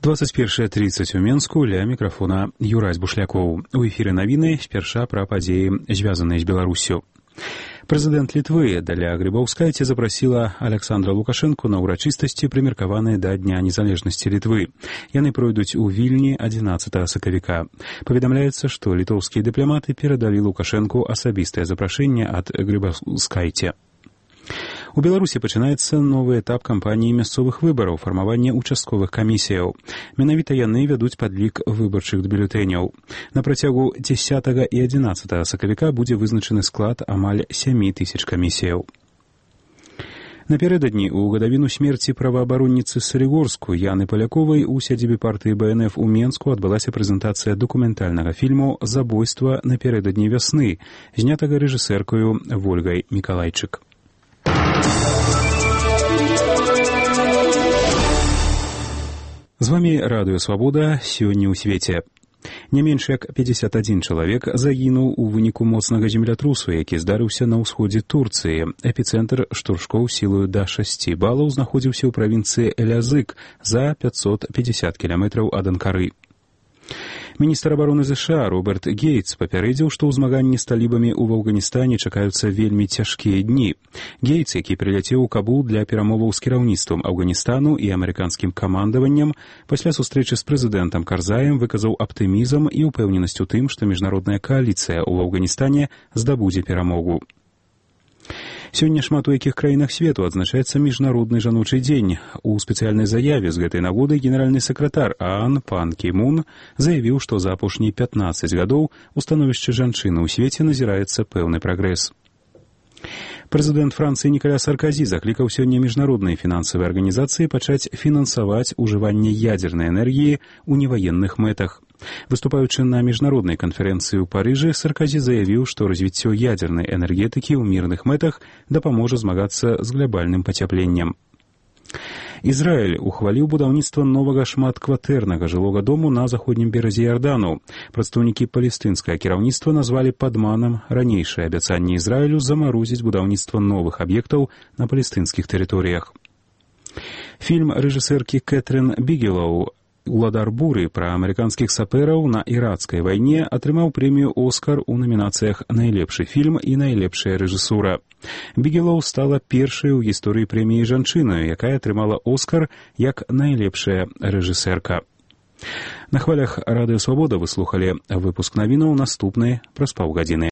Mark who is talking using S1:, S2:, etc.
S1: 21:30 у Менску, ля мікрафона Юрась Бушлякоў. У эфіры навіны спярша пра падзеі, звязаныя з Беларуссю. Прэзідэнт Літвы Даля Грыбаўскайце запрасіла Александра Лукашэнку на ўрачыстасці, прымеркаваныя да Дня незалежнасці Літвы. Яны пройдуць у Вільні 11 сакавіка. Паведамляецца, што літоўскія дыпламаты перадалі Лукашэнку асабістае запрашэнне ад Грыбаўскайце. У Беларусі пачынаецца новы этап кампаніі мясцовых выбараў, фармавання участковых камісіяў. Менавіта яны вядуць падлік выбарчых бюлетэняў. На працягу 10 і 11 сакавіка будзе вызначаны склад амаль 7000 камісіяў. Напярэдадні ў гадавіну смерці праваабаронніцы Салігорску Яны Паляковай у сядзібе партыі БНФ у Менску адбылася прэзентацыя дакументальнага фільму «Забойства напярэдадні вясны», знятага рэжысэркаю Вольгай Мікалайчык. З вамі Радыё Свабода, сёння ў свеце. Не менш як 51 чалавек загінуў у выніку моцнага землятрусу, які здарыўся на ўсходзе Турцыі. Эпіцэнтр штуршкоў сілаю да 6 балаў знаходзіўся ў правінцыі Элязык за 550 кіламетраў ад Анкары. Міністр абароны ЗША Роберт Гейтс папярэдзіў, што ў змаганні з талібамі ў Афганістане чакаюцца вельмі цяжкія дні. Гейтс, які прыляцеў у Кабул для перамоваў з кіраўніцтвам Афганістану і амерыканскім камандаваннем, пасля сустрэчы з прэзідэнтам Карзаем выказаў аптымізм і ўпэўненасць у тым, што міжнародная кааліцыя ў Афганістане здабудзе перамогу. Сёння шмат у якіх краінах свету адзначаецца міжнародны жаночы дзень. У спецыяльнай заяве з гэтай нагоды генеральны сакратар ААН Пан Кі Мун заявіў, што за апошнія 15 гадоў у становішчы жанчыны ў свеце назіраецца пэўны прагрэс. Прэзідэнт Францыі Нікаля Сарказі заклікаў сёння міжнародныя фінансавыя арганізацыі пачаць фінансаваць ужыванне ядзернай энергіі ў неваенных мэтах. Выступаючы на міжнароднай канферэнцыі ў Парыжы, Сарказі заявіў, што развіццё ядзернай энергетыкі ў мірных мэтах дапаможа змагацца з глабальным пацяпленнем. Ізраіль ухваліў будаўніцтва новага шматкватэрнага жылога дому на заходнім беразе Ярдану. Прадстаўнікі палестынскага кіраўніцтва назвалі падманам ранейшае абяцанне Ізраілю замарозіць будаўніцтва новых аб'ектаў на палестынскіх тэрыторыях. Фільм рэжысэркі Кэтрын Бігелоу «Уладар буры» пра амерыканскіх сапэраў на іракскай вайне атрымаў прэмію «Оскар» у намінацыях «Найлепшы фільм» і «Найлепшая рэжысура». Бігелоу стала першай у гісторыі прэміі жанчынаю, якая атрымала «Оскар» як найлепшая рэжысэрка. На хвалях Радыё Свабода вы слухалі выпуск навінаў, наступны праз паўгадзіны.